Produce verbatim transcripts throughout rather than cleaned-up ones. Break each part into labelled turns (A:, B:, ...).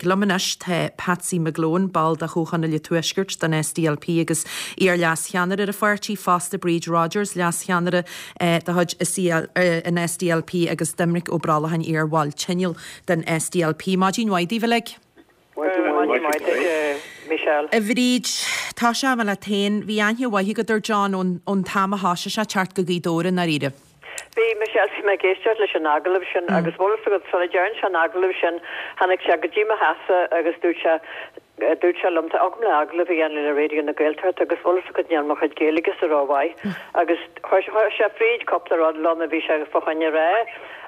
A: aghaidh. Liom anois tá Patsy McGlone, ball de Chomhthionól an Tuaiscirt don SDLP agus iar-leascheannaire ar an pháirtí fosta Bríd Rodgers leascheannaire eh, de chuid eh, an SDLP agus Doimnic Ó Brollacháin iar-bhall tionóil den SDLP. Maidin mhaith daoibh uilig.
B: Michelle.
A: A Bhríd tá sé me le tain bhí aithne mhaith agat ar John ón ón t-am a thosaigh sé teacht go Gaoth Dobhair i ndáiríre.
B: Bhí Michelle bhí mé ag éisteacht leis an agallamh sin mm. agus bhfuil go sula dtearn sé an agallamh sin tháinig sé go dtí mo theachsa agus dúirt sé dúirt sé liom agam le agallamh a dhéanamh le Raidió na Gaeltachta agus bhfuil go níl mo chuid Gaeilge sa rómhaith agus chuir sé fríd cúpla rud liom a bhí sé fá choinne rá.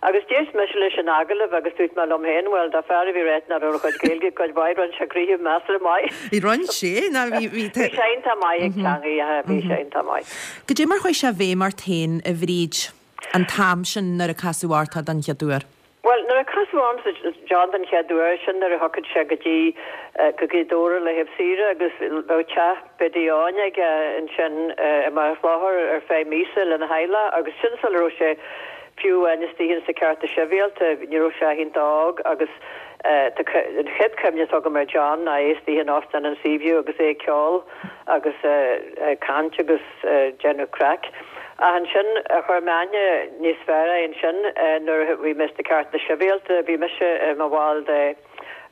B: Agus d'éist mise leis an agallamh agus dúirt mé liom féin well dá fear a bhí rá nach raibh a chuid Gaeilge cuid mhaith rinne sé gnoithe measartha maith.
A: I rinne sé ná bhí
B: bhí sé iontach maith ag teanga bhí sé iontach maith.
A: Goidé mar chuaigh sé i bhfeidhm ort féin a Bhríd an t-am sin nuair a casadh ort é den chéad uair.
B: Well nuair a casadh ormsa John den chéad uair sin nuair a thiocfadh sé go dtí go Gaoth Dobhair le thaobh saoire agus bheadh teach Biddy Áin aige ansin i mBaile Chlochair ar feadh míosa lena theaghlach agus sin sula raibh sé fiú amháin istigh sa Cearta Sibhialta ní raibh sé iontach óg agus an chéad chuimhne atá agam ar John ná é istigh in Óstán an Seaview agus é ag ceol agus caint agus déanamh craic. Ach ansin chuir mé aithne níos fearr air ansin nuair a bhí mé sna Cearta Sibhialta bhí mise i mo bhall de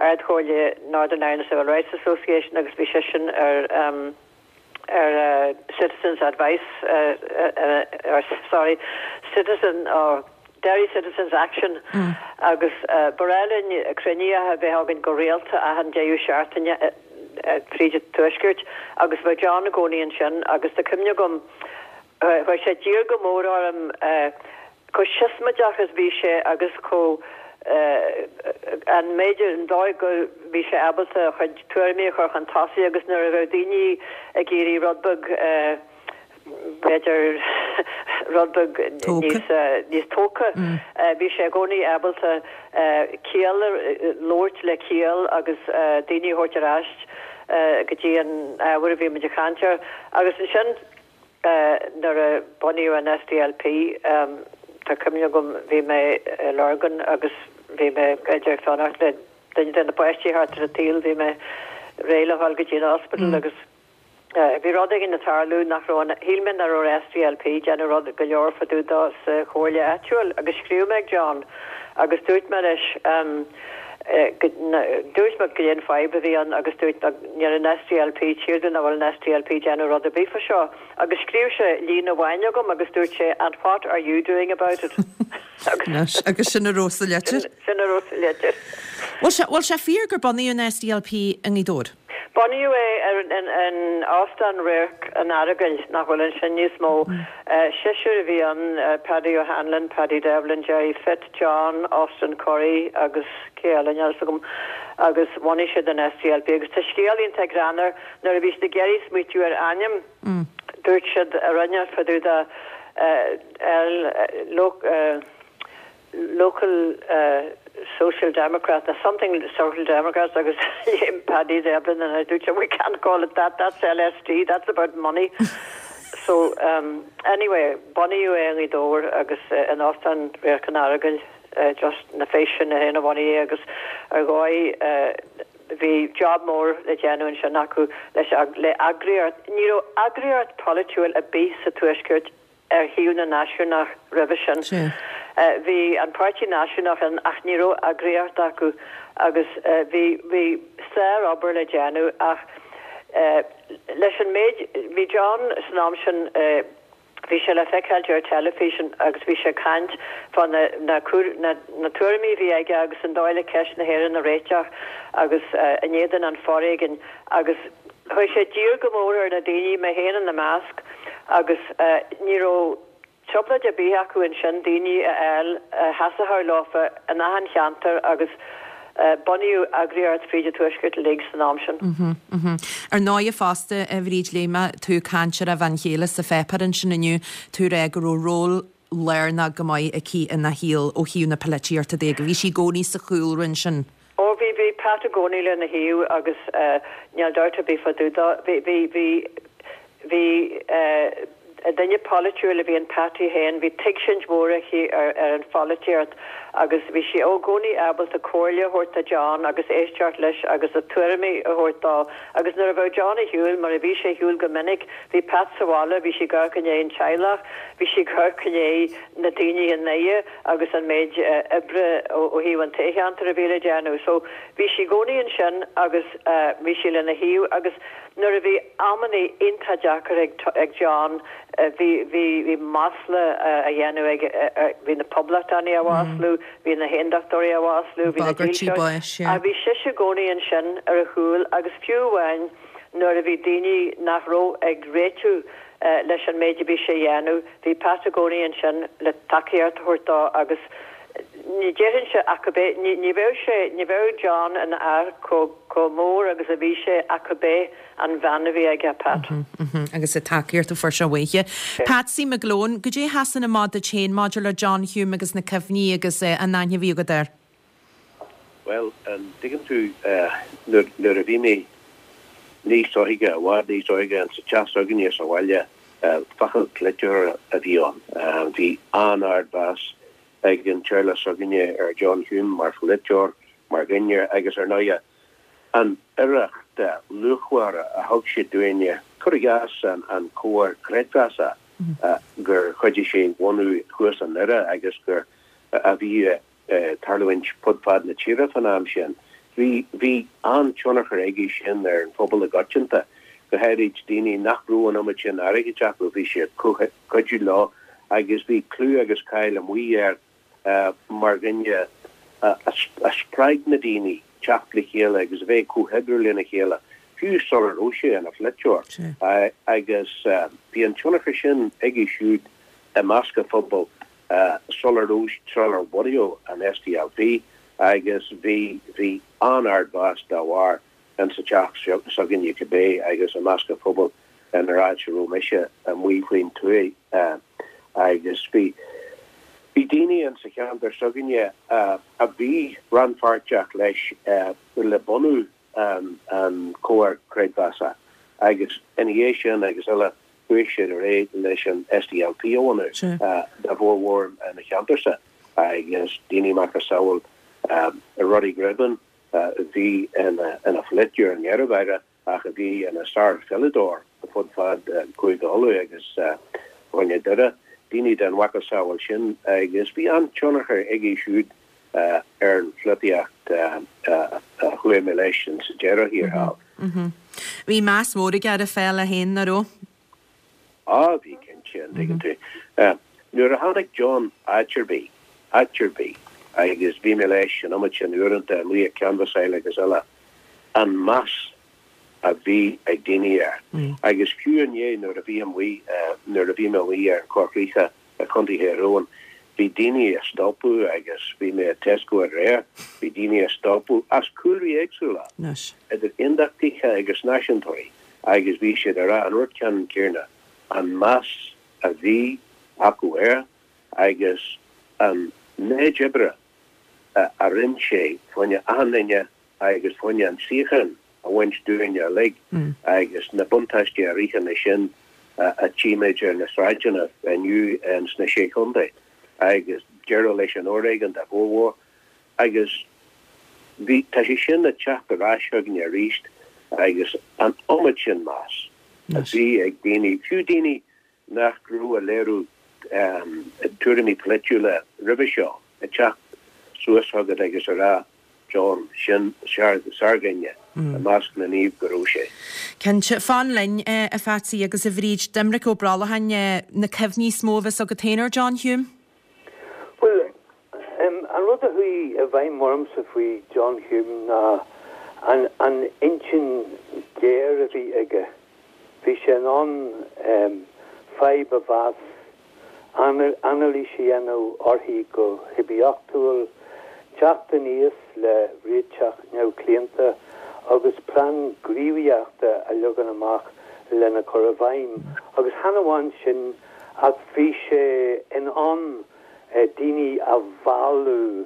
B: Ardchomhairle Northern Ireland Civil Rights Association agus bhí seisean ar um, ar uh, Citizens Advice uh, uh, or sorry Citizen or Derry Citizens Action mm. agus uh, ba bhreá linn cruinnithe a bheith againn go rialta achan deireadh seachtaine uh, uh, fríd an tuaisceart agus bhí John i gcónaí ansin agus tá cuimhne agam chuir sé diar go mór orm chomh siosmaideach is bhí sé agus chomh an méid an dóigh go bhí sé ábalta a chuid tuairimí a chur chun tosaigh agus nuair a bheadh daoine ag iarraidh rud beag b'fhéidir rud beag níos níos tógtha bhí sé i gcónaí ábalta ciall labhairt le ciall agus daoine a thabhairt ar ais go dtí an ábhar a bhí muid ag caint air agus ansin nuair a bunaíodh an SDLP tá cuimhne agam bhí mé i Lurgan agus bhí mé b'fhéidir fanacht le duine de na páistí thart ar an tsaol bhí mé réidh le dhul go dtí an hospital agus bhí rud éigin ag tarlú nach raibh shíl mé nach raibh SDLP déanamh rud go leor fá dtaobh dó sa chomhairle áitiúil agus scríobh mé ag John agus dúirt mé leis um, dúirt mé go an fadhb a bhí ann agus dúirt níl an SDLP tíir na bhfuil an SDLP déanamh rud ar bith fá seo agus scríobh sé líne amháin chugam agus dúirt sé and what are you doing about it?
A: Agus agus sin a raibh sa litir?
B: Sin a raibh sa litir.
A: Bhfuil sé fíor gur bunaíodh an SDLP i nGaoth Dobhair?
B: Bunaíodh é ar an Óstán Radharc an Earagail nach bhfuil ansin níos mó. Seisear a bhí ann Paddy O'Hanlon, Paddy Devlin, Jerry Fitt, John, Austin Curry agus cé eile níl a fhios agam agus bhunaigh siad an SDLP agus tá scéal iontach greannmhar nuair a bhí siad ag iarraidh smaoitiú ar ainm dúirt siad a rinne fá dtaobh de L local uh, social democrat or something social democrats agus Paddy Devlin and I dúirt we can't call it that that's LSD that's about money so um, anyway bunaíodh é i nGaoth Dobhair agus uh, in Óstán Radharc an Earagail uh, just na féin na héna bhunaigh agus ar dhóigh uh, bhí job mór le déanamh ansin acu leis le eagraíocht ní raibh eagraíocht polaitiúil ar bith sa tuaisceart ar thaobh na náisiúnach roimhe sin. Uh, bhí an Páirtí Náisiúnach ann ach ní raibh eagraíocht acu agus uh, bhí bhí sárobair le déanamh ach uh, leis an méid bhí John san am sin uh, bhí sé le feiceáil ar teilifís agus bhí sé caint fá na na, na, na tuairimí bhí aige agus an dóigh le ceist na hÉireann a réiteach agus uh, in éadan an fhoréigin agus chuir sé diar go mór ar na daoine mé féin ina measc agus uh, ní raibh trioblóid ar bith acu ansin daoine a fháil sheasfadh leofa in achan cheantar agus uh, bunaíodh eagraíocht fríd an tuaisceart uilig san am sin.
A: Mm -hmm. Ar ndóigh fosta a Bhríd léigh mé tú ag caint ar a bhean chéile sa pháipéar ansin inniu tú rá go raibh ról lárnach go maith aici ina shaol ó thaobh na polaitíochta de go bhí sí i gcónaí sa chúlra ansin.
B: Ó bhí bhí Pat i gcónaí lena thaobh agus uh, níl dabht ar bith fá dtaobh bhí bhí bhí bhí uh, Duine polaitiúil a bhí in Patsy féin, bhí tuigsint mhór aici ar ar an pholaitíocht agus bhí sí i gcónaí ábalta comhairle a thabhairt do John agus éisteacht leis agus a tuairimí a thabhairt dó. Agus nuair a bheadh John ar shiúl, mar a bhí sé ar shiúl go minic, bhí Pat sa bhaile, bhí sí ag amharc i ndiaidh an teaghlach, bhí sí ag amharc i ndiaidh na daoine i nDoire agus an méid oibre ó thaobh an toghcheantair a bhí le déanamh. So bhí sí i gcónaí ansin agus bhí sí lena thaobh agus nuair a bhí amannaí iontach deacair ag ag John, bhí bhí bhí masla á dhéanamh aige, bhí na poblachtánaigh á mhaslú, bhí na haondachtóirí á mhaslú, bhí na dílseoirí, ach bhí sise i gcónaí ansin ar a chúl agus fiú amháin nuair a bhí daoine nach raibh ag réitiú leis an méid a bhí sé a dhéanamh, bhí Pat i gcónaí ansin le tacaíocht a thabhairt dó agus ní déarfainnse ach gurb é, ní ní bheadh sé, ní bheadh John ina fhear chomh chomh mór agus a bhí sé ach gurb é an bhean a bhí aige, Pat.
A: Agus an tacaíocht a fuair sé uaithi. Patsy McGlone, goidé a sheasann amach duit féin maidir le John Hume agus na cuimhní agus an aithne a bhí agat air?
C: Bhuel, an dtuigeann tú, nuair nuair a bhí mé níos óige, i bhfad níos óige, in sa teach s'againne sa bhaile, focal polaiteora a bhí ann. Bhí an-ardmheas ag an teaghlach s'againne ar John Hume mar pholaiteoir, mar dhuine agus ar ndóighe an oidhreacht luachmhar a thug sé dúinne, cuir i gcás an comhar creidmheasa gur chuidigh sé bhunú thuas i nDoire agus gur a bhí ag tarlúint fud fad na tíre fan am sin. Bhí bhí an-tionchar aige sin ar an phobal i gcoitianta, go háirid daoine nach raibh an iomad sin airgid acu, bhí sé ag cuidiú leo agus bhí clú agus cáil amuigh air mar dhuine a spreag na daoine teacht le chéile agus a bheith ag comhoibriú lena chéile, fiú sula raibh sé ina pholaiteoir. Agus bhí an tionchar sin aige siúd i measc an phobail sula raibh, sular bunaíodh an SDLP agus bhí, bhí an-ardmheas dá bharr insa teach s'againne cibé agus i measc an phobail inar áit a raibh mise amuigh faoin tuaith agus bhí bhí daoine insa cheantar s'againne a bhí rannpháirteach leis le bunú an Comhar Creidmheasa agus ina dhiaidh sin agus eile chuaigh siad ar aghaidh leis an SDLP a bhunú dá bhformhór ina cheantarsa agus daoine macasamhail Roddy Gribben a bhí ina pholaiteoir i ndeireadh ach a bhí ina sár-pheileadóir fud fad Chúige Uladh agus Chontae Dhoire, daoine den mhacasamhail sin agus bhí an-tionchar aige siúd ar an pholaitíocht a chuaigh mé leis sa deireadh thiar thall.
A: Bhí meas mór aige ar an pheil féin, nach raibh?
C: Á, bhí cinnte, an dtuigeann tú. Nuair a tháinig John áit ar bith, áit ar bith, agus bhí mé leis an iomad sin uaireanta amuigh ag canbhasáil agus eile, an meas a bhí ag daoine air. Agus fiú inné nuair a bhí amuigh, nuair a bhí mé amuigh ar an Chorr Chríochach i Contae Thír Eoghain, bhí daoine a stopadh agus bhí mé i Tesco aréir, bhí daoine a stopadh as cúlraí éagsúla, idir aondachtaithe agus náisiúntóirí, agus bhí siad ag rá an rud ceannann céanna, an meas a bhí acu air agus an méid oibre a rinne sé fá choinne achan duine agus fá choinne an tsíocháin a bhaint dúinne uilig agus na buntáistí a ritheann leis sin a tchímid ar na sráideanna inniu sna Sé Chontae agus deireadh leis an fhoréigean dá bhformhór agus bhí, tá sé sin ag teacht ar ais chugainn arís agus an iomad sin meas a bhí ag daoine, fiú daoine nach raibh ag léiriú tuairimí polaitiúla roimhe seo, ag teacht suas chugat agus ag rá, John, sin sárdhuine, i measc na naomh go raibh sé.
A: Cinnte. Fan linn, a Phatsy agus a Bhríd. Doimnic Ó Brollacháin, na cuimhní is mó a bheas agat féin ar John Hume?
D: Bhuel, an rud a chuaigh i bhfeidhm ormsa faoi John Hume ná an an intinn ghéar a bhí aige. Bhí sé in ann fadhb a mheas, anailís a dhéanamh uirthi go hoibiachtúil, teacht aníos le réiteach neamhchlaonta agus plean gníomhaíochta a leagan amach lena chur i bhfeidhm. Agus chan amháin sin ach bhí sé in ann daoine a mhealladh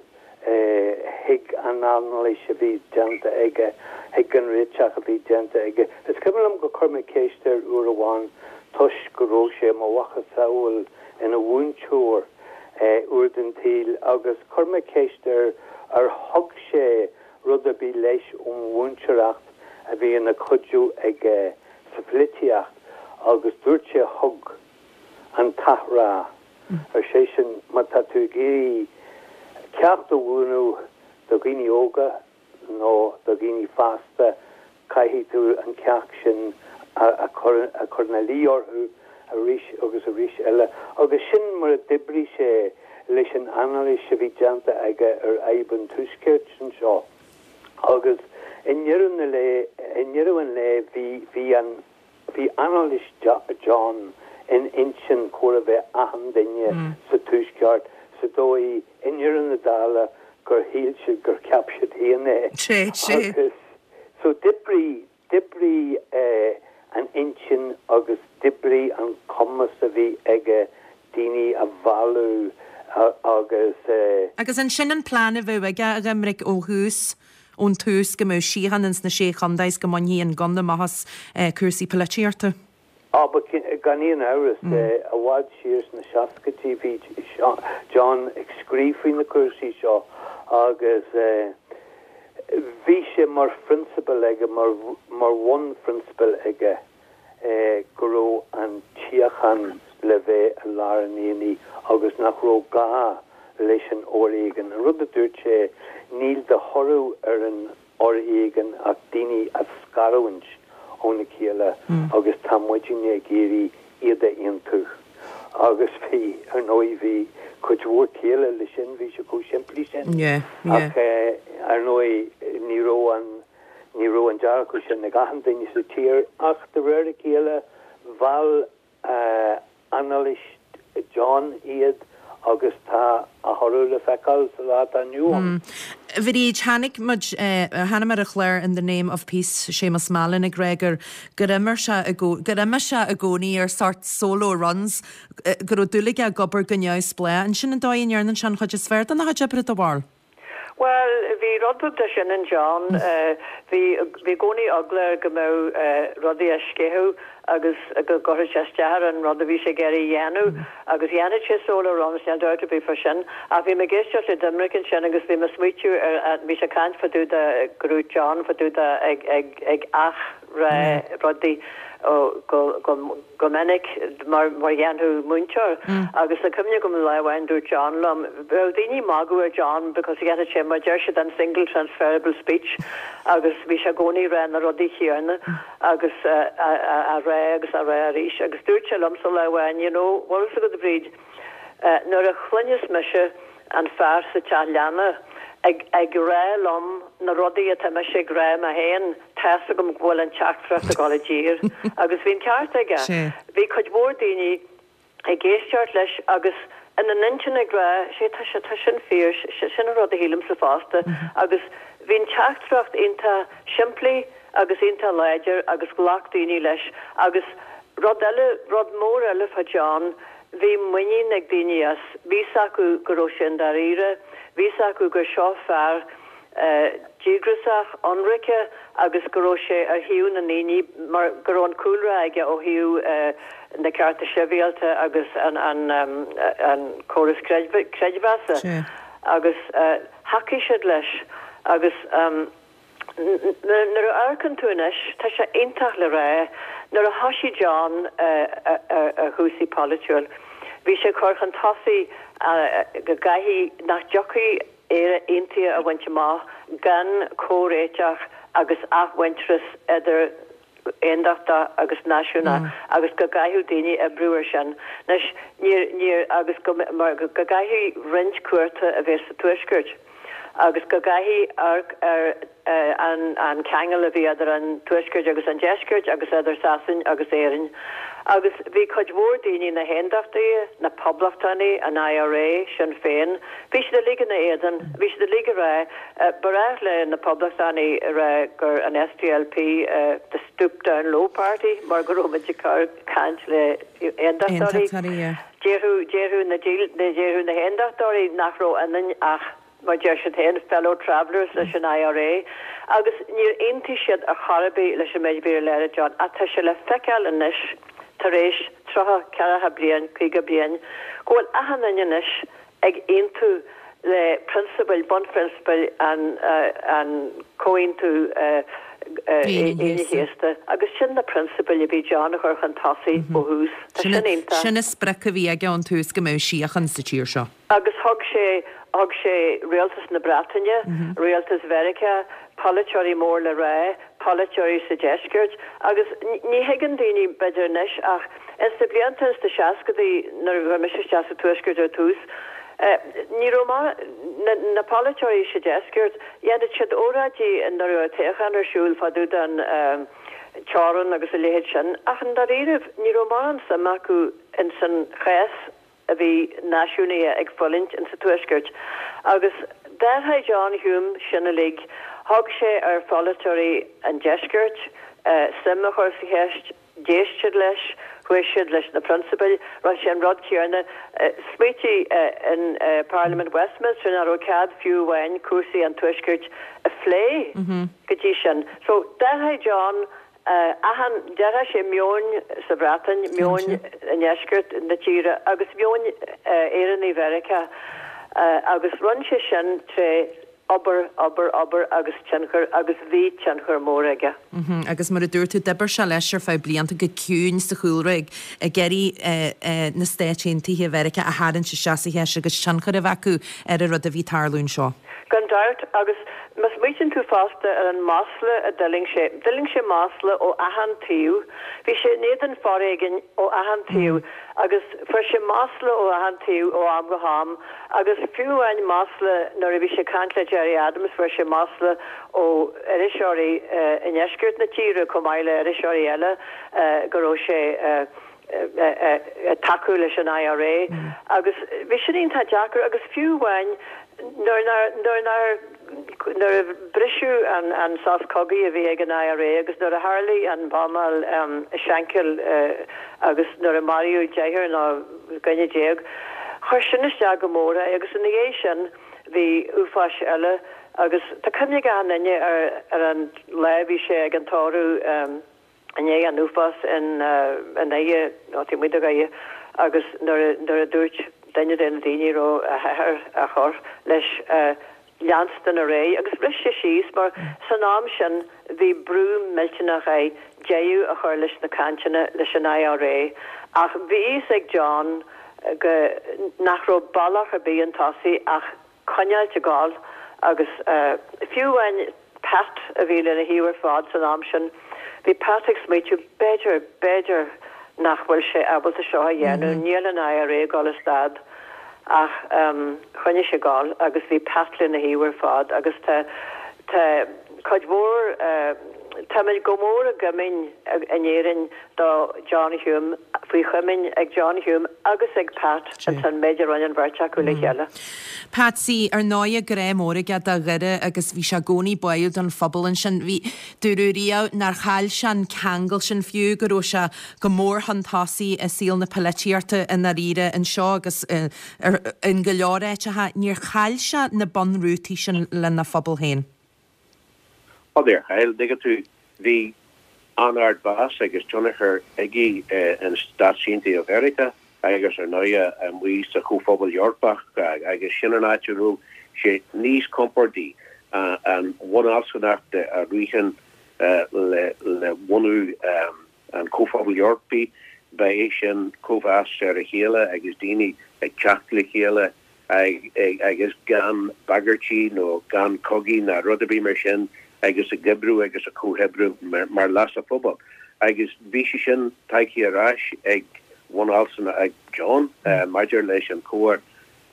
D: chuig an anailís a bhí déanta aige, chuig an réiteach a bhí déanta aige. Is cuimhin liom gur chuir mé ceist air uair amháin, toisc go raibh sé mar mhacasamhail ina mhúinteoir uair den tsaol agus chuir mé ceist air ar thug sé rud ar bith leis ón mhúinteoireacht a bhí ina chuidiú aige sa pholaitíocht agus dúirt sé thug an t-athrá ar seisean má tá tú ag iarraidh ceacht a mhúineadh do dhaoine óga nó do dhaoine fásta caithfidh tú an ceacht sin a chur a chur ina luí orthu arís agus arís eile. Agus sin mar a d'oibrigh sé leis an anailís a bhí déanta aige ar fhadhb an Tuaiscirt anseo. Agus i ndeireadh na lae i ndeireadh an lae bhí bhí an bhí anailís John in intinn chóir a bheith achan duine sa Tuaisceart sa dóigh i ndeireadh na dála gur shíl siad gur cheap siad féin é.
A: Sé sé.
D: Agus so d'oibrigh d'oibrigh eh, an intinn agus d'oibrigh an cumas a bhí aige daoine a mhealladh agus eh,
A: Agus ansin an plean a bheadh aige a Dhoiminic ó thús ón tús go mbeadh síocháin ins na sé chontae is go mbainfí an gunna amach as eh, cúrsaí polaitíochta.
D: Á gan aon amhras i bhfad siar sna seascaidí bhí John ag scríobh faoi na cúrsaí seo agus eh, bhí sé mar phrionsabal aige mar mar bhunphrionsabal aige eh, go raibh an tsíocháin le bheith i lár an aonaigh agus nach raibh gá leis an fhoréigean. An rud a dúirt sé níl de thoradh ar an fhoréigean ach daoine a scarúint óna chéile agus tá muidinne ag iarraidh iad a aontú. Agus bhí ar ndóigh bhí cuid mhór céille leis sin bhí sé chomh simplí sin.
A: Yeah, yeah.
D: Ach eh, ar ndóigh ní raibh an ní raibh an dearcadh sin ag achan duine sa tír ach de réir a chéile mheall uh, anailís John iad agus tá a thoradh le feiceáil sa lá atá inniu ann.
A: A Bhríd tháinig muid tháinig ar a chlár in the name of peace Séamus Mallon ag rá gur gur imir sé gur imigh sé i gcónaí ar sort solo runs go raibh dúil aige ag obair go neamhspleách. Ansin an dóigh a ndéanann sé an chuid is fearr dena chuid oibre do bharúil.
B: Well, bhí rud beag de sin in John, uh, bhí bhí i gcónaí eagla air go mbeadh uh, rudaí a sceitheadh agus go gcuirfeadh sé isteach ar an rud a bhí sé ag iarraidh a dhéanamh agus dhéanadh sé solo runs níl dabht ar bith fá sin ach bhí mé ag éisteacht le Doiminic ansin agus bhí mé ag smaoitiú ar bhí sé ag caint fá dtaobh de go raibh John fá dtaobh de ag ag ag athrá rudaí ó go go go minic mar mar dhéanfadh múinteoir agus tá cuimhne agam lá amháin dúirt John liom bheadh daoine ag magadh ar John because dhéanadh sé mar deir siad an single transferable speech agus bhí sé i gcónaí ag rá na rudaí céanna agus uh, a, a, a rá agus a rá arís agus dúirt sé liomsa lá amháin you know bhfuil a fhios agat Bríd uh, nuair a chluineas mise an fear sa teach leanna ag ag rá liom na rudaí atá mise ag rá mé féin tá a fhios agam go bhfuil an teachtaireacht ag dul i dtír agus bhí an ceart aige. Bhí cuid mhór daoine ag éisteacht leis agus ina n-intinn ag rá sé tá sé tá sin fíor sin an rud a shílimse fosta agus bhí an teachtaireacht iontach simplí agus iontach láidir agus ghlac daoine leis agus rud eile rud mór eile fá John bhí muinín ag daoine as bhí a fhios acu go raibh sé i ndáiríre bhí a fhios acu gur seo fear uh, díograiseach ionraice agus go raibh sé ar thaobh na ndaoine mar go raibh an cúlra aige ó thaobh uh, na cearta sibhialta agus an an um, an córas creidmheasa agus uh, thacaigh siad leis agus um, nuair a amharcann tú anois tá sé iontach le rá nuair a thosaigh John ar chúrsaí polaitiúil bhí sé chur chun tosaigh go gcaithfidh nach dtiocfaidh Éire aontaithe a bhaint amach gan comhréiteach agus athmhuintearas idir aondachtach agus náisiúnach agus go gcaithfeadh daoine oibriú ar sin. Anois níor níor agus go mar go gcaithfidh roinnt cúirte a bheith sa tuaisceart. agus go gcaithfidh ar ar an an ceangal a bhí idir an tuaisceart agus an deisceart agus idir Sasain agus Éirinn. Agus bhí cuid mhór daoine na haondachtaithe, na poblachtánaigh, an IRA, Sinn Féin, bhí siad uilig ina éadan, bhí siad uilig ag rá, ba ghnách le na poblachtánaigh a rá gur an SDLP uh, the stoop down low party mar go raibh muid ag caint le aondachtóirí. Déarfadh déarfadh na déarfadh na haondachtóirí nach raibh ionainn ach mar deir siad féin fellow travellers leis an IRA agus níor aontaigh siad ar chor ar bith leis an méid a bhí le John ach tá sé le feiceáil anois tar éis tríocha ceathracha bliain, caoga bliain, go bhfuil achan duine anois ag aontú le prionsabail, bunphrionsabail an an Comhaontú Aoine Chéasta agus sin na prionsabail a bhí John a chur chun tosaigh ó thús. Tá sin iontach.
A: Sin an sprioc a bhí aige ón tús go mbeadh síocháin sa tír seo.
B: Agus thug sé thug sé rialtas na Breataine, rialtas Mheiriceá, polaiteoirí mór le rá, polaiteoirí sa deisceart agus ní thuigeann daoine b'fhéidir anois ach ins na blianta ins na seascadaí nuair a bhí mise isteach sa tuaisceart ar tús, ní raibh na na polaiteoirí sa deisceart, dhéanadh siad óráidí nuair a raibh toghchán ar siúl fá dtaobh den teorainn agus a leithéid sin ach i ndáiríribh ní raibh mórán suim acu ins an chás a bhí náisiúnaithe ag fulaingt ins an Tuaisceart agus d'athraigh John Hume sin uilig. Thug sé ar pholaiteoirí an Deiscirt suim a chur sa cheist, d'éist siad leis, chuaigh siad leis na prionsabail, rinne sé an rud céanna. Smaoitigh in Parlaimint Westminster nach raibh cead fiú amháin cúrsaí an Tuaiscirt a phlé go dtí sin. So d'athraigh John Achan, d'athraigh sé meon sa Bhreatain, meon i ndeisceart na tíre agus meon Éireannaigh Mheiriceá agus rinne sé sin tré obair, obair, obair agus tionchar agus bhí tionchar mór aige.
A: Agus mar a dúirt tú, d'oibir sé leis ar feadh blianta go ciúin sa chúlra ag ag iarraidh na Stáit Aontaithe Mheiriceá a tharraingt isteach sa cheist agus tionchar a bheith acu ar an rud a bhí ag tarlú anseo.
B: Gan dabht, agus má smaoitíonn tú fosta ar an masla a d'fhuiling sé, d'fhuiling sé masla ó achan taobh, bhí sé in éadan foréigin ó achan taobh agus fuair sé masla ó achan taobh ó am go ham agus fiú amháin masla nuair a bhí sé ag caint le Gerry Adams fuair sé masla ó iriseoirí i ndeisceart na tíre chomh maith le iriseoirí eile go raibh sé ag tacú leis an IRA agus bhí sin iontach deacair agus fiú amháin nuair nár nuair nár nuair a briseadh an an sos cogaidh a bhí ag an IRA agus nuair a tharlaigh an bhuamáil i Shankill agus nuair a maraíodh deichniúr nó dhuine déag chuir sin isteach go mór é agus ina dhiaidh sin bhí uafáis eile agus tá cuimhne ag achan duine ar ar an lá a bhí sé ag an tórramh i ndiaidh an uafás in i nDoire nó taobh amuigh de Dhoire agus nuair a nuair a dúirt duine de na daoine a raibh a athair á chur leis leanstan ar aghaidh agus bhris sé síos mar san am sin bhí brú millteanach air deireadh a chur leis na cainteanna leis an IRA ach bhí fhios ag John go nach raibh bealach ar bith chun tosaigh ach coinneáilt ag gabháil agus fiú amháin Pat a bhí lena thaobh ar fad san am sin, bhí Pat ag smaoitiú, b'fhéidir, b'fhéidir nach bhfuil sé ábalta seo a dhéanamh, níl an IRA ag dul a stad. Ach choinnigh sé ag gabháil agus bhí Pat lena thaobh ar fad agus tá, tá cuid mhór, táimid go mór i gcuimhin in Éirinn do John Hume, faoi chuimhin ag John Hume agus ag Pat ins an méid a rinne an bheirt acu le chéile.
A: Patsy, Ar ndóighe, grá mór aige do Dhoire agus bhí sé i gcónaí báúil don phobal ansin. Bhí, dúradh riamh nár chaill sé an ceangal sin fiú, go raibh sé go mór chun tosaigh i saol na polaitíochta i ndáiríre anseo agus in go leor áiteacha. Níor chaill sé na bunrútaí sin lena phobal féin.
C: Ó níor chaill, dtuigeann tú, bhí an-ardmheas agus tionchar aige in Stáit Aontaithe Mheiriceá agus ar ndóighe amuigh sa Chomhphobal Eorpach agus sin an áit a raibh sé níos compordaí. An bhunfhealsúnacht a ritheann le bunú an Chomhphobail Eorpaigh, ba é sin cóimheas ar a chéile agus daoine ag teacht le chéile agus gan bagairtí nó gan cogaí ná rud ar bith mar sin agus ag oibriú agus ag comhoibriú mar leas an phobail. Agus bhí sé sin tagtha ar ais ag bunfhealsúnacht ag John maidir leis an comhar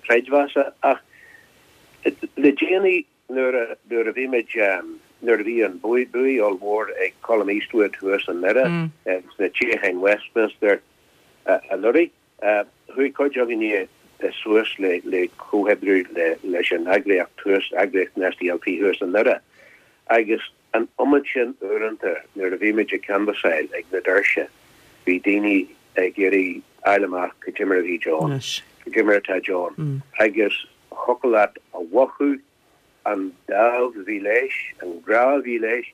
C: creidmheasa. Ach le déanaí nuair a nuair a bhí muid nuair a bhí an buaidh ollmhór ag Colum Eastwood thuas i nDoire sna toghcháin Westminster anuraidh, Chuaigh cuid againne suas le le comhoibriú le leis an eagraíocht thuas, eagraíocht an SDLP thuas i nDoire, agus an iomad sin uaireanta nuair a bhí muid ag canbhasáil ag na doirse, bhí daoine ag iarraidh fháil amach cad é mar a bhí John, cad é mar atá John, agus thiocfadh leat a mhothú an dáimh a bhí leis, an grá a bhí leis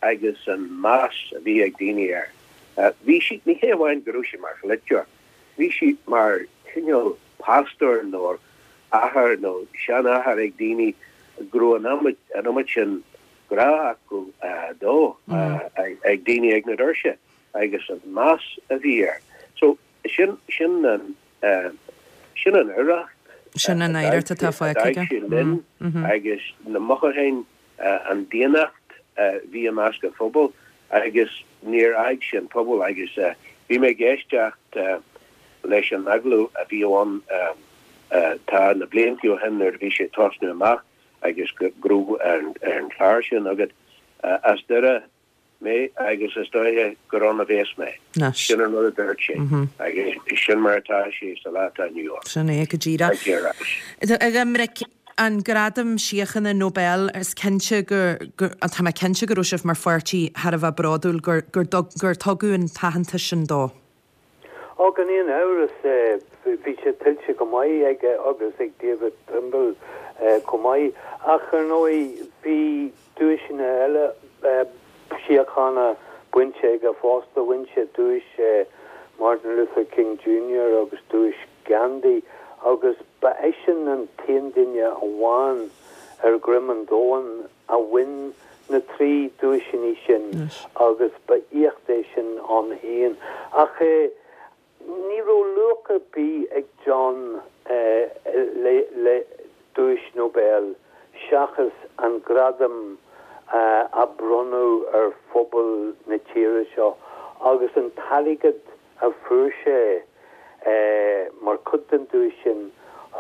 C: agus an meas a bhí ag daoine air. Bhí sé, ní hé amháin go raibh sé mar pholaiteoir, bhí sé mar chineál pastor nó athair nó seanathair ag daoine go raibh an an iomad sin grá acu dó ag daoine ag na doirse agus an meas a bhí air. So sin sin an sin an oidhreacht
A: Sin an oidhreacht atá fágtha aige.
C: linn agus na mothúcháin an daonnacht a bhí i measc an phobail agus níor fhág sé an pobal agus bhí mé ag éisteacht leis an agallamh a bhí ann tá na blianta ó shin nuair a bhí sé ag tosnú amach agus go raibh ar an chlár sin agat as Doire mé agus is dóiche gur ann a bheas mé. Sin an rud a dúirt sé agus sin mar atá sé sa lá atá inniu ann.
A: Sin é go díreach. A Dhoiminic, an Gradam Síochána Nobel, is cinnte gur, tá mé cinnte go raibh sibh mar pháirtí thar a bheith bródúil gur, gur, gur tugadh an t-aitheantas sin dó.
D: Ó, gan aon amhras, bhí sé tuillte go maith aige agus ag David Trimble chomh maith. Ach ar ndóigh, bhí duaiseanna eile síochána bainte aige fosta. Bhain sé duais Martin Luther King Junior agus duais Gandhi agus ba eisean an t-aon duine amháin ar dhroim an domhain a bhain na trí duaiseanna sin agus ba éacht é sin ann féin. Ach ní raibh luach ar bith ag John le duais Nobel seachas an gradam a bronnadh ar phobal na tíre seo agus an t-airgead a fuair sé mar chuid den duais sin,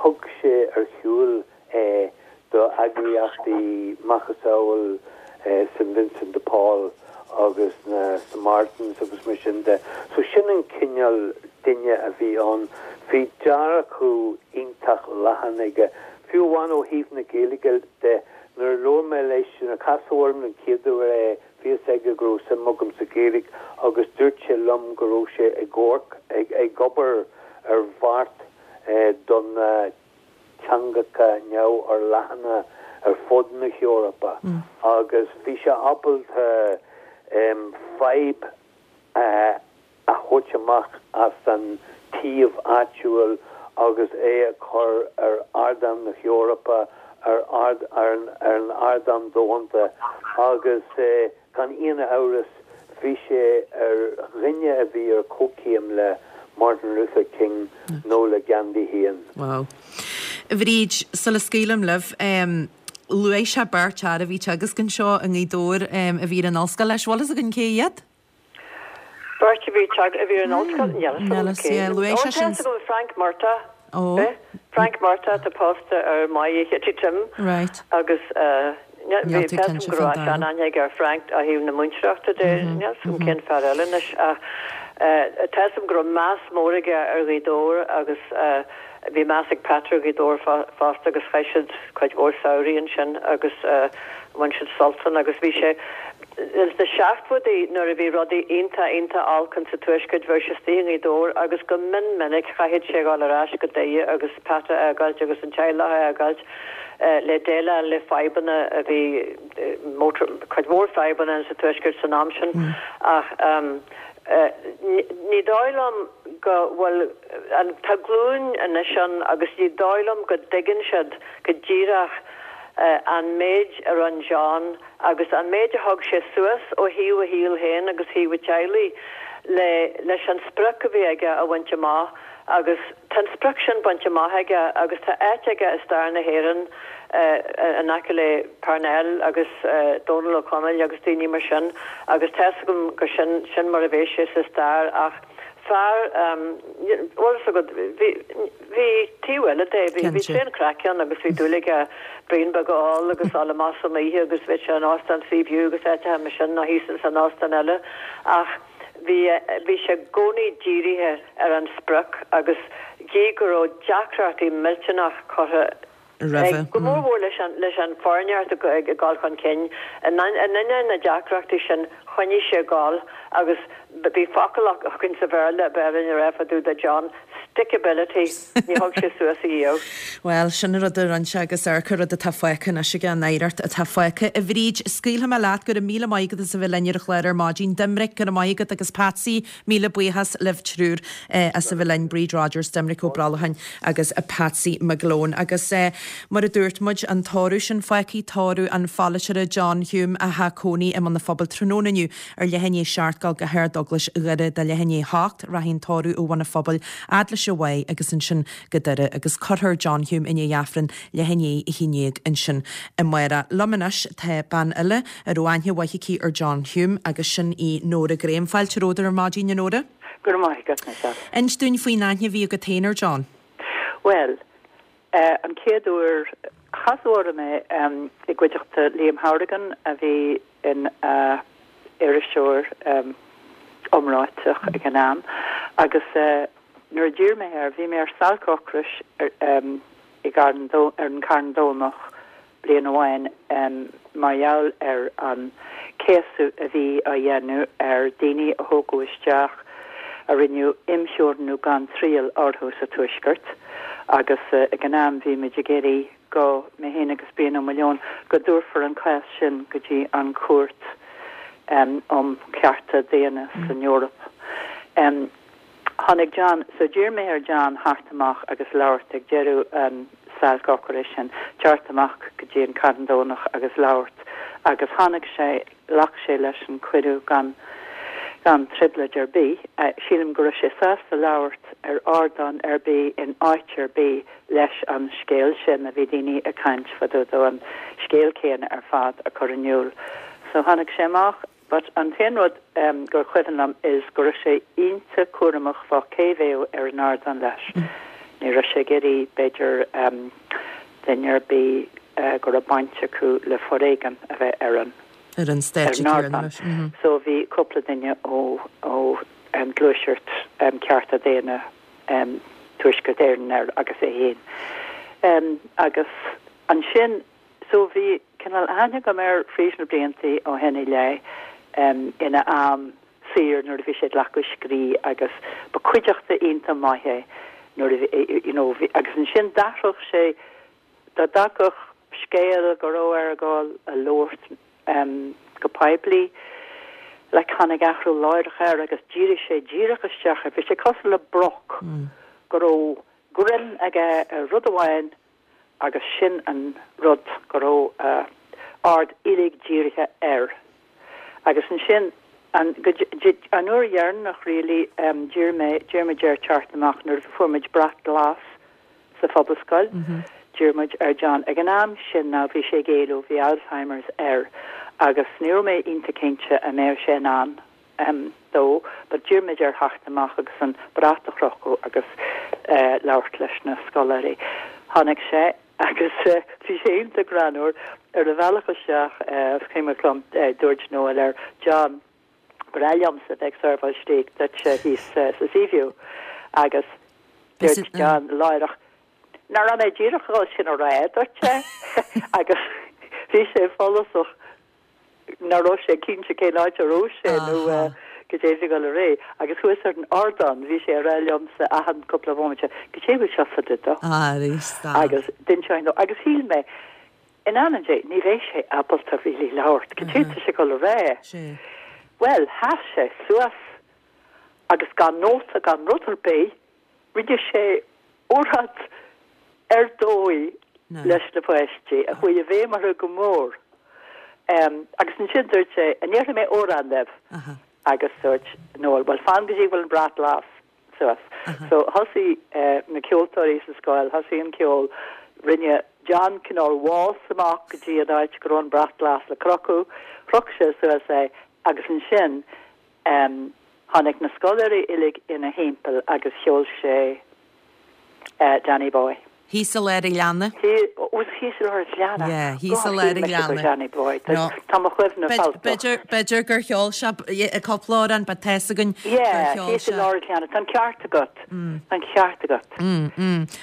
D: thug sé ar shiúl é do eagraíochtaí macasamhail St Vincent de Paul agus na Samaritans agus mar sin de. So sin an cineál duine a bhí ann. Bhí dearcadh iontach leathan aige, fiú amháin ó thaobh na Gaeilge de. Nuair a labhair mé leis, nuair a casadh orm an chéad uair é, bhí fhios aige go raibh suim agam sa Ghaeilge agus dúirt sé liom go raibh sé ag amharc, ag obair ar bheart do na teangacha neamhfhorleathana ar fud na hEorpa agus bhí sé ábalta fadhb a thabhairt amach as an taobh áitiúil agus é a chur ar ardán na hEorpa, ar ar an ardán domhanda agus gan aon amhras bhí sé ar dhuine a bhí ar comhchéim le Martin Luther King nó le Gandhi féin.
A: Wow. A Bhríd, sula scaoilim libh, luaigh sé beirt fhear a bhí ag teagasc anseo i nGaoth Dobhair a bhí ar an ollscoil leis. Bhfuil fhios againn cé hiad?
B: Beirt a bhí a bhí ar an ollscoil? Níl fhios agam cé.
A: Luaigh sé sin.
B: Ó, tá fhios agam Frank Murtagh. Ó. Frank Murtagh atá pósta ar Mháire Chitty Tim.
A: Right.
B: Agus bhí tá fhios agam go raibh seanaithne aige ar Frank ó thaobh na múinteoireachta de. Níl fhios agam cén fear eile anois ach tá fhios agam go raibh meas mór aige ar Ghaoth Dobhair agus bhí meas ag Pat ar Ghaoth Dobhair fosta agus chaith siad cuid mhór samhraí ansin agus bhain siad sult ann agus bhí sé sna seachtóidí nuair a bhí rudaí iontach iontach olc insa Tuaisceart bheadh sé istigh i nGaoth Dobhair agus go mion minic chaithfeadh sé dhul ar ais go Doire agus Pat a fhágáilt agus an teaghlach a fhágáilt le déileáil le fadhbanna a bhí motor cuid mhór fadhbanna insa Tuaisceart san am sin ach ní dóigh liom go bhfuil an tá glúin anois ann agus ní dóigh liom go dtuigeann siad go díreach an méid a rinne John agus an méid a thug sé suas ó thaobh a shaoil féin agus thaobh a teaghlaigh le leis an sprioc a bhí aige a bhaint amach agus tá an sprioc sin bainte amach aige agus tá áit aige i stair na hÉireann in aice le Parnell agus Dónal Ó Conaill agus daoine mar sin agus tá fhios agam gur sin sin mar a bheidh sé sa stair ach fear bhfuil fhios agat bhí bhí taobh eile de bhí bhí tréan craic ann agus bhí dúil aige braon beag a ól agus dul amach san oíche agus bhí sé in óstán Seaview agus áiteacha mar sin nó thíos ins an óstán eile ach bhí bhí sé i gcónaí dírithe ar an sprioc agus gí go raibh deacrachtaí millteanach curtha
A: Roimhe.
B: Go mór mhór leis an leis an foreigneacht ag dul chun cinn. In ainneoin na deacrachtaí sin, choinnigh sé ag dul agus bhí focal againn sa Bhéarla a b'fhearr a rá fá dtaobh de John, stickability, ní thug sé suas ariamh.
A: Bhuel, sin an rud a rinne sé agus amharc an rud atá fágtha anois aige, an oidhreacht atá fágtha. A Bhríd, scaoilfidh mé leat, go raibh míle maith agat as a bheith linn ar an chlár ar maidin. Doimnic, go raibh maith agat agus Patsy, míle buíochas libh triúr as a bheith linn, Bríd Rodgers, Doimnic Ó Brollacháin agus Patsy McGlone. Agus mar a dúirt muid, an tórramh sin fágtha, tórramh an pholaiteora John Hume atá cónaí i mBun an Phobail tráthnóna inniu ar leath i ndiaidh a seacht dul go hArd-Eaglais Dhoire do leath i ndiaidh a hocht, rachaidh an tórramh ó Bhun an Phobail fhad leis an Mhaigh agus ansin go Doire agus cuirfear John Hume i ndiaidh Aifreann leath i ndiaidh a haon déag ansin amárach. Liom anois tá bean eile a raibh aithne mhaith aici ar John Hume agus sin í Nóra Graham. Fáilte romhat ar maidin, a Nóra.
E: Go raibh maith agat, Michelle.
A: Inis dúinn faoin aithne a bhí agat féin ar John.
E: Bhuel, an chéad uair, casadh orm é i gcuideachta Liam Hourigan a bhí ina iriseoir iomráiteach ag an am agus nuair a d'iarr mé air, bhí mé ar stailc ocrais i gCarn ar an Carn Domhnach bliain amháin mar gheall ar an céasadh a bhí á dhéanamh ar daoine a thógadh isteach a rinneadh imtheorannú gan triail orthu sa Tuaisceart agus ag an am bhí muid ag iarraidh go, mé féin agus Brian Ó Maoileoin, go dtabharfar an cás sin go dtí an Chúirt um Chearta Daonna san Eoraip. Tháinig John, so d'iarr mé ar John theacht amach agus labhairt ag deireadh an stailc ocrais sin, teacht amach go dtí an Carn Domhnach agus labhairt agus tháinig sé, ghlac sé leis an cuireadh gan gan trioblóid ar bith. Sílim go raibh sé sásta labhairt ar ardán ar bith in áit ar bith leis an scéal sin a bhí daoine ag caint fá dtaobh dó, an scéal céanna ar fad a chur in iúl. So tháinig sé amach but an t-aon rud gur cuimhin liom is go raibh sé iontach cúramach fá cé bheadh ar an ardán leis. Ní raibh sé ag iarraidh b'fhéidir duine ar bith go raibh baint acu le foréigean a bheith ar an
A: ar an stáitse céanna leis.
E: So bhí cúpla duine ó ó Gluaiseacht Cearta Daonna Tuaisceart Éireann air agus é féin. Agus ansin so bhí cineál aithne agam air fríd na bliantaí ó shin i leith ina am saor nuair a bhí sé ag glacadh scrí agus ba cuideachta iontach maith é nuair a bhí you know bhí agus ansin d'athródh sé dá dtagadh scéal go raibh air a ghabháil a labhairt go poiblí, like tháinig athrú láithreach air agus dhírigh sé díreach isteach air. Bhí sé cosúil le broc go raibh greim aige ar rud amháin agus sin an rud go raibh a aird uilig dírithe air. Agus ansin an go an uair dheireanach really d'iarr mé d'iarr muid air teacht amach nuair a fuair muid brat glas sa Phobalscoil. D'iarr muid ar John ag an am sin now bhí sé ag éalú, bhí Alzheimer's air agus ní raibh mé iontach cinnte an mbeadh sé in ann dó but d'iarr muid air theacht amach agus an brat a chrochadh agus labhairt leis na scoláirí. Tháinig sé agus bhí sé iontach greannmhar ar a bhealach isteach is cuimhin liom dúirt Noel air John ba bhreá liomsa bheith ag seirbheáil stéig duitse thíos sa Seaview agus dúirt John láithreach Nach raibh mé díreach ag dul sin a rá duit agus bhí sé follasach nach raibh sé cinnte cén áit a raibh sé nó goidé a bhí ag dul ar aghaidh agus thuas ar an ardán bhí sé ag rá liomsa achan cúpla bhomaite goidé a bhfuil seo fá dtaobh dó agus d'inseoinn dó agus shíl mé in ainm Dé ní bheidh sé ábalta really labhairt goidé tá sé ag dul a rá. Bhuel sheas sé suas agus gan nóta gan rud ar bith Rinne sé óráid ar dóigh leis na páistí, a chuaigh i bhfeidhm orthu go mór. Agus ansin dúirt sé, 'An ndéarfaidh mé amhrán libh? Agus dúirt Noel, 'Bhuel, fan go dtí go bhfuil an brat glas suas. So thosaigh na ceoltóirí sa scoil, thosaigh an ceol, rinne John cineál waltz amach go dtí an áit go raibh an brat glas le crochadh, chroch sé suas é agus ansin Tháinig na scoláirí uilig ina thimpeall agus cheol sé Danny Boy.
A: Thíos i lár an ghleanna.
E: Was thíos i lár an ghleanna?
A: Yeah, thíos i lár an ghleanna.
E: Johnny boy. Tá mo chuimhne falltach.
A: B'fhéidir gur cheol sé cúpla amhrán, but tá's againn gur
E: Yeah,
A: cheol
E: thíos i
A: sé.
E: lár an ghleanna. Tá an ceart agat. Tá an ceart agat.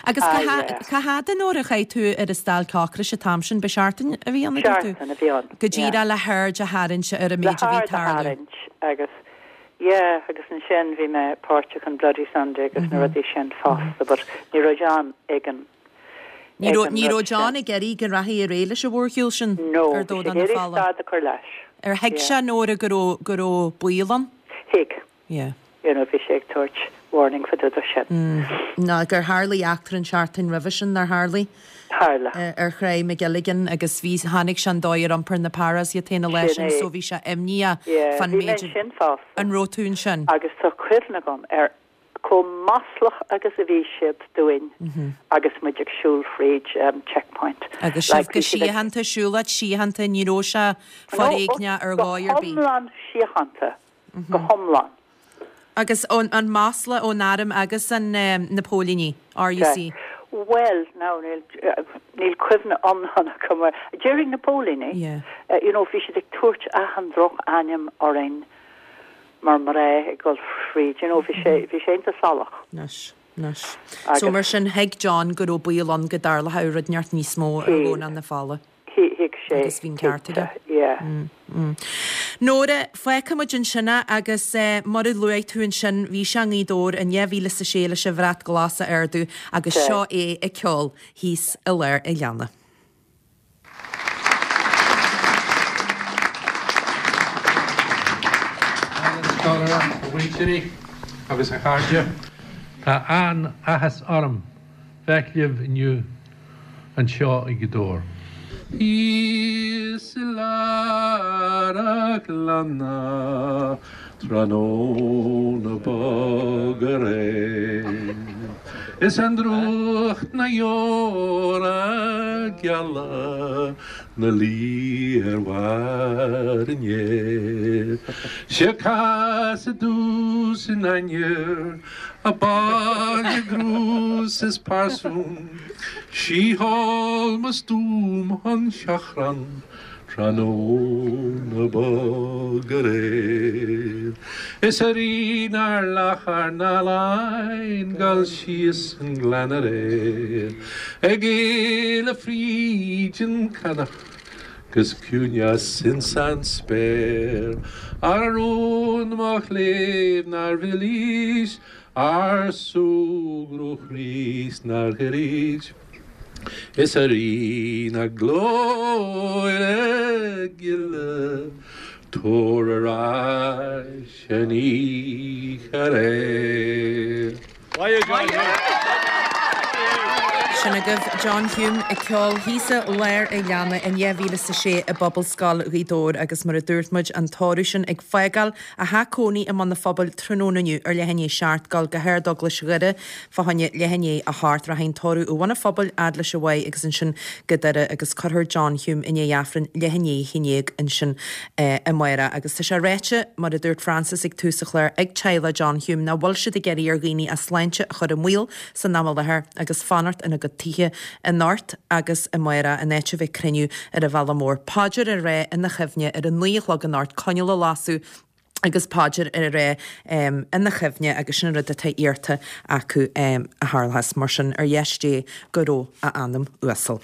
A: Agus
E: Ah,
A: cá
E: yeah.
A: cá fhad a Nóra a chaith tú ar an stailc ocrais an t-am sin, ba seachtain a bhí ann a dúirt tú?
E: Seachtain a bhí ann.
A: Go díreach le haird a tharraingt ar an
E: Le
A: méid a bhí
E: haird a
A: tarlú.
E: tharraingt agus yeah, agus ansin bhí mé páirteach an Bloody Sunday agus na rudaí sin fosta, but ní raibh John ag an
A: Ní
E: ag
A: raibh
E: an
A: ní
E: rud
A: raibh John
E: sin.
A: ag iarraidh go rachaí ar aghaidh leis an mhórshiúl sin
E: No,
A: ar
E: bhí
A: Domhnach
E: sé
A: na
E: ag iarraidh
A: Fola.
E: stad a chur leis.
A: Ar thuig
E: Yeah.
A: sé Nóra go raibh go raibh baol ann?
E: Thuig.
A: Yeah.
E: You know, bhí sé ag tabhairt warning fá dtaobh de sin.
A: Ná gur tharlaigh eachtra an tseachtain roimhe sin nár tharlaigh
E: Tharla.
A: eh, ar Chraobh McGilligan agus bhí tháinig sé an dóigh ar iompar na paras iad féin a leis
E: Sin
A: sin,
E: é.
A: so bhí sé imníoch
E: Yeah,
A: fan
E: bhí mé
A: méid
E: sin fosta.
A: an raibh tú ansin.
E: Agus tá cuimhne agam ar chomh maslach agus a bhí siad dúinn agus muid ag siúl fríd um, checkpoint.
A: Agus sibh
E: Like,
A: go
E: bhí siad ag-
A: síochánta siúlóid síochánta ní raibh sé foréigneach ar
E: go
A: dhóigh ar bith.
E: hiomlán síochánta. Go hiomlán.
A: Agus ón an masla ón arm agus an um, na póilíní RUC.
E: Well, now níl uh, níl cuimhne iomlán agam ar During na póilíní,
A: Yeah.
E: uh, you know, bhí siad ag tabhairt achan drochainm orainn mar mná ag dul fríd, you know, bhí sé bhí sé iontach salach.
A: Anois, anois.
E: Agus-
A: So mar sin thuig John go raibh baol ann go dtarlódh rud neart níos mó ar
E: Thuig.
A: Dhomhnach na Fola.
E: Thuig sé.
A: Agus bhí an ceart aige.
E: Yeah.
A: Nóra fágfaimid ansin é agus eh, mar a luaigh tú ansin bhí sé i nGaoth Dobhair in dhá mhíle is a sé leis an bhrat glas a ardú agus
E: Okay.
A: seo é ag ceol thíos i lár an ghleanna.
F: a mhuintir agus a chairde Tá an-áthas orm bheith libh inniu anseo i nGaoth Dobhair. Thíos i lár an ghleanna tráthnóna bog aréir. Is an drúcht na deora geala 'na luí ar bharr an fhéir. 'Sé casadh domhsa an ainnir a baile grús is parsún, Sí thall mo stuaim an seachrán tráthnóna bog aréir. Is a rí nár lachar ná lein gal síos an gleann aréir. Ag éaladh fríd an canach 'gus ciúineas ins an spéir, Ar rún mo chléibh nár mhillís, ar súgradh Chríost nár ghoirís. Is a Rí na glóire gile, tabhair ar ais an oíche aréir.
A: Sin agaibh John Hume ag ceol thíos i lár an ghleanna in dhá mhíle is a sé i bPobalscoil Ghaoth Dobhair agus mar a dúirt muid an tórramh sin ag fágáil a theach cónaí i mBun an Phobail tráthnóna inniu ar leath i ndiaidh a seacht ag dul go hArd-Eaglais Dhoire fá choinne leath i ndiaidh a hocht rachaidh an tórramh ó Bhun an Phobail fhad leis an Mhaigh agus ansin go Doire agus cuirfear John Hume i ndiaidh Aifreann leath i ndiaidh a haon déag ansin amárach agus tá sé ráite mar a dúirt Francis ag tús an chláir ag teaghlach John Hume nach bhfuil siad ag iarraidh ar dhaoine a sláinte a chur i mbaol san am i láthair agus fanacht ina gcuid tithe anocht agus amárach in áit a bheith cruinniú ar an bhealach mór. Paidir á rá ina chuimhne ar a naoi a chlog anocht coinneal a lasadh agus paidir á rá um, ina chuimhne agus sin rud atá iarrta acu um, a tharlás mar sin ar dheis Dé go raibh a anam uasal.